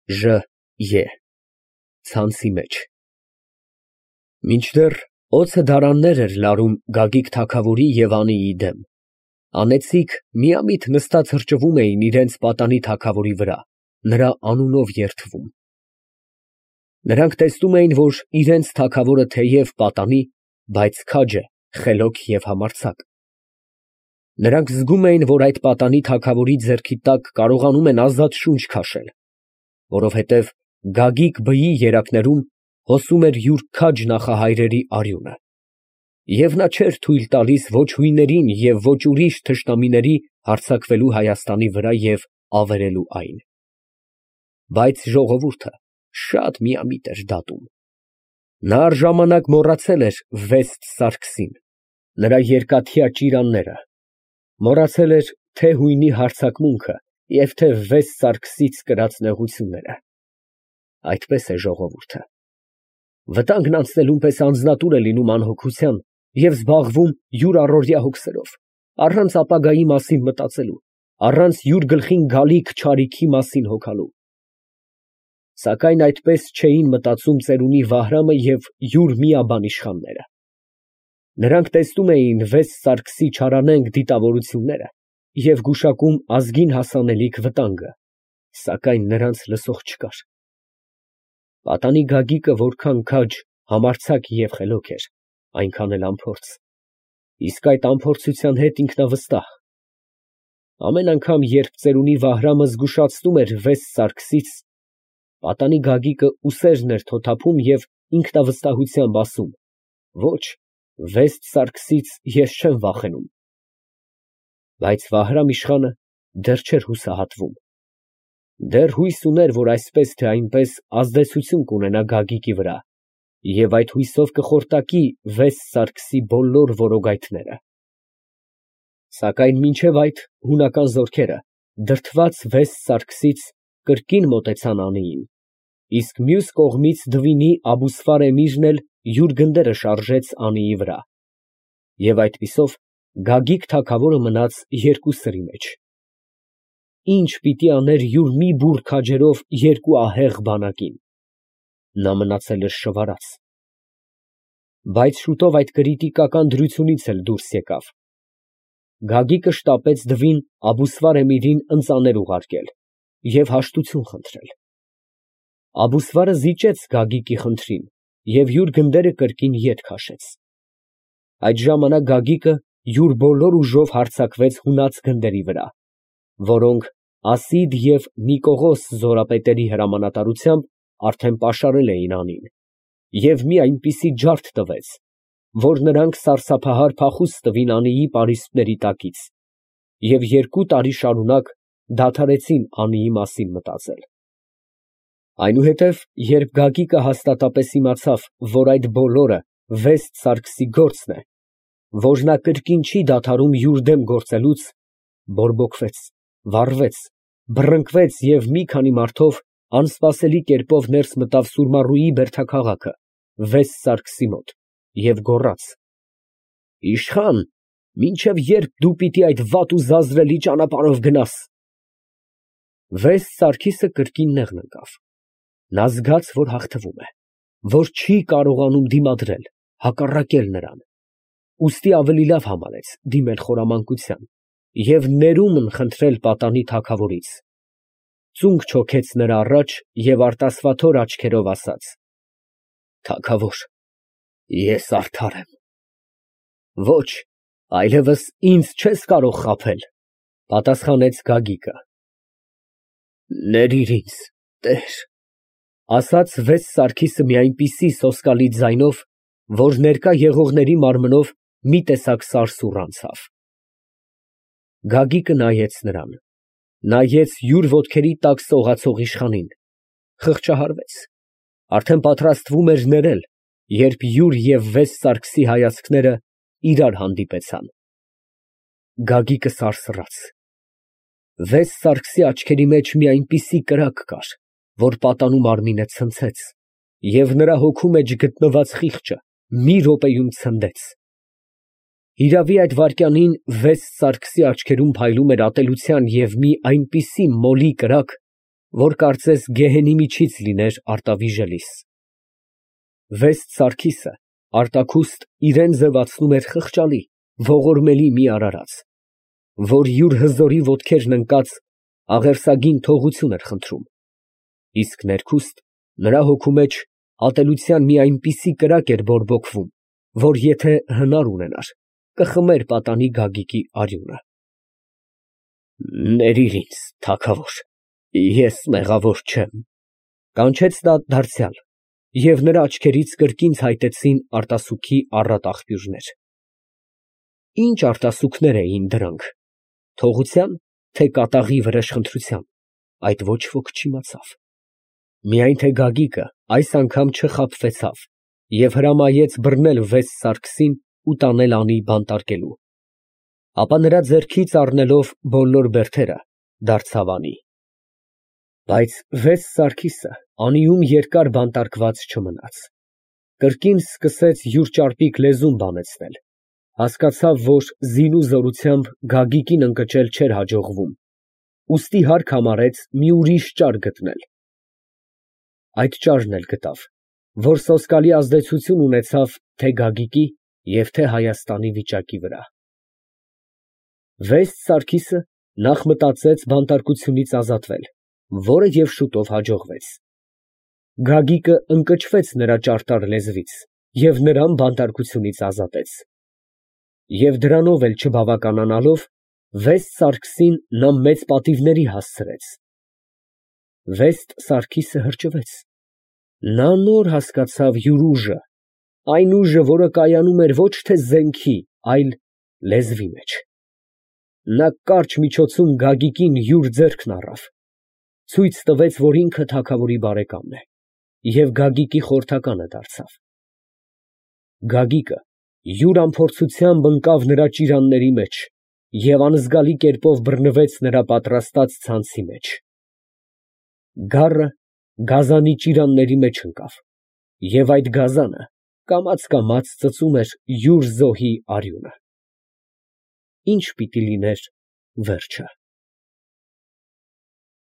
Է ցանցի մեջ։ Մինչդեռ օձը դարաններ էր լարում Գագիկ թագավորի և Անիի դեմ, անեծիկ միամիտ նստած հրճվում էին իրենց պատանի թագավորի վրա, նրա անունով երդվում։ Նրանք տեսնում էին, որ իրենց թագավորը թեև պատանի, բայց քաջ է, խելոք և համարձակ։ Նրանք զգում էին, որ այդ պատանի թագավորի ձեռքի տակ կարողանում են ազատ շունչ քաշել, որովհետև Գագիկ բեի երակներում հոսում էր յուր քաջ նախահայրերի արյունը, և նա չէր թույլ տալիս ոչ հույներին և ոչ ուրիշ թշնամիների հարձակվելու Հայաստանի վրա և ավերելու այն։ Բայց ժողովուրդը շատ միամիտ էր դատում։ Նա առժամանակ մոռացել էր Վեստ Սարգսին, նրա երկաթյա ճիրանները, մոռացել էր թե՛ հույնի հարձակմունքը և թե՛ Վեստ Սարգսից կրած նեղությունները։ Այդպես է ժողովուրդը։ Վտանգն անցնելուն պես անձնատուր է լինում անհոգության և զբաղվում յուր առօրյա հոգսերով, առանց ապագայի մասին մտածելու, առանց յուր գլխին գալիք չարիքի մասին հոգալու։ Սակայն այդպես չէին մտածում ծերունի Վահրամը և յուր միաբան իշխանները։ Նրանք տեսնում էին Վեստ Սարգսի չարանենգ դիտավորությունները և գուշակում ազգին հասանելիք վտանգը, սակայն նրանց լսող չկար։ Պատանի Գագիկը որքան քաջ, համարձակ և խելոք էր, այնքան էլ անփորձ, իսկ այդ անփորձության հետ ինքնավստահ։ Ամեն անգամ, երբ ծերունի Վահրամը զգուշացնում էր Վեստ Սարգսից, պատանի Գագիկը ուսերն էր թոթափում և ինքնավստահությամբ ասում. «Ոչ, Վեստ Սարգսից ես չեմ վախենում»։ Բայց Վահրամ իշխանը դեռ չէր հուսահատվում։ Դեռ հույս ուներ, որ այսպես թե այնպես ազդեցություն կունենա Գագիկի վրա և այդ հույսով կխորտակի Վեստ Սարգսի բոլոր որոգայթները։ Սակայն մինչև այդ հունական զորքերը, դրդված Վեստ Սարգսից, կրկին մոտեցան Անիին, իսկ մյուս կողմից Դվինի Աբուսվար էմիրն էլ յուր գնդերը շարժեց Անիի վրա, և այդպիսով Գագիկ թագավորը մնաց երկու սրի մեջ։ Ինչ պիտի աներ յուր մի բուռ քաջերով երկու ահեղ բանակին։ Նա մնացել էր շվարած։ Բայց շուտով այդ կրիտիկական դրությունից էլ դուրս եկավ։ Գագիկը շտապեց Դվին Աբուսվար էմիրին ընծաներ ուղարկել և հաշտություն խնդրել։ Աբուսվարը զիջեց Գագիկի խնդրին և յուր գնդերը կրկին ետ քաշեց։ Այդ ժամանակ Գագիկը յուր բոլոր ուժով հարձակվեց հունած գնդերի վրա, որոնք Ասիդ և Նիկողոս զորապետերի հրամանատարությամբ արդեն պաշարել էին Անին, և մի այնպիսի ջարդ տվեց, որ նրանք սարսափահար փախուստ տվին Անիի պարիսպների տակից և 2 տարի շարունակ դադարեցին Անիի մասին մտածել։ Այնուհետև, երբ Գագիկը հաստատապես իմացավ, որ այդ բոլորը Վեստ Սարգսի գործն է, որ նա կրկին չի դադարում յուր դեմ գործելուց, բորբոքվեց, վառվեց, բռնկվեց և մի քանի մարդով անսպասելի կերպով ներս մտավ Սուրմառուի բերդաքաղաքը, Վեստ Սարգսի մոտ, և գոռաց. «Իշխան, մինչև ե՞րբ դու պիտի այդ վատ ու զազրելի ճանապարհով գնաս»։ Վեստ Սարգիսը կրկին նեղն ընկավ։ Նա զգաց, որ հաղթվում է, որ չի կարողանում դիմադրել, հակառակել նրան, ուստի ավելի լավ համարեց դիմել խորամանկության և ներումն խնդրել պատանի թագավորից։ Ծունկ չոքեց նրա առաջ և արտասվաթոր աչքերով ասաց. «Թագավոր, ես արդար եմ»։ «Ոչ, այլևս ինձ չես կարող խաբել», ֊ պատասխանեց Գագիկը։ «Ներիր ինձ, տեր», ֊ ասաց Վեստ Սարգիսը մի այնպիսի սոսկալի ձայնով, որ ներկա եղողների մարմնով մի տեսակ սարսուռ անցավ։ Գագիկը նայեց նրան, նայեց յուր ոտքերի տակ սողացող իշխանին, խղճահարվեց, արդեն պատրաստվում էր ներել, երբ յուր և Վեստ Սարգսի հայացքները իրար հանդիպեցան։ Գագիկը սարսռաց։ Վեստ Սարգսի աչքերի մեջ մի այնպիսի կրակ կար, որ պատանու մարմինը ցնցեց, և նրա հոգու մեջ գտնված խիղճը մի րոպեում ցնդեց։ Հիրավի, այդ վայրկյանին Վեստ Սարգսի աչքերում փայլում էր ատելության և մի այնպիսի մոլի կրակ, որ կարծես գեհենի միջից լիներ արտավիժելիս։ Վեստ Սարգիսը արտաքուստ իրան ձևացնում էր խղճալի, ողորմելի մի արարած, որ յուր հզորի ոտքերն ընկած աղերսագին թողություն էր խնդրում, իսկ ներքուստ նրա հոգու մեջ ատելության մի այնպիսի կրակ էր բորբոքվում, որ եթե հնար ունենար, կխմեր պատանի Գագիկի արյունը։ Ներիր ինձ, թագավոր, ես մեղավոր չեմ, կանչեց նա դարձյալ, և նրա աչքերից կրկին ցայտեցին արտասուքի առատ աղբյուրներ։ Ինչ արտասուքներ էին դրանք, թողության, թե կատաղի վրեժխնդրության, այդ ոչ ոք չիմացավ, միայն թե Գագիկը այս անգամ չխաբվեցավ և հրամայեց բռնել Վեստ Սարգսին ու տանել անի բանտարկելու, ապա նրա ձեռքից առնելով բոլոր բերդերը, դարձավ անի։ Բայց Վեստ Սարգիսը անիում երկար բանտարկված չմնաց, կրկին սկսեց յուր ճարպիկ լեզուն բանեցնել, հասկացավ, որ զինու զորությամբ Գագիկին ընկճել չէր հաջողվում, ուստի հարկ համարեց մի ուրիշ ճար գտնել։ Այդ ճարն էլ գտավ, որ սոսկալի ազդեցություն ունեցավ թե Գագիկի և թե Հայաստանի վիճակի վրա։ Վեստ Սարգիսը նախ մտածեց բանտարկությունից ազատվել, որը և շուտով հաջողվեց։ Գագիկը ընկճվեց նրա ճարտար լեզվից և նրան բանտարկությունից ազատեց։ Եվ դրանով էլ չբավականանալով, Վեստ Սարգսին նա մեծ պատիվների հասցրեց։ Վեստ Սարգիսը հրճվեց, նա նոր հասկացավ յուր ուժը, այն ուժը, որը կայանում էր ոչ թե զենքի, այլ լեզվի մեջ։ Նա կարճ միջոցում Գագիկին յուր ձեռքն առավ, ցույց տվեց, որ ինքը թագավորի բարեկամն է, և Գագիկի խորհրդականը դարձավ։ Գագիկը յուր անփորձությամբ ընկավ նրա ճիրանների մեջ և անզգալի կերպով բռնվեց նրա պատրաստած ցանցի մեջ։ Գառը գազանի ճիրանների մեջ ընկավ, և այդ գազանը կամաց ծծում էր յուր զոհի արյունը։ Ի՞նչ պիտի լիներ վերջը։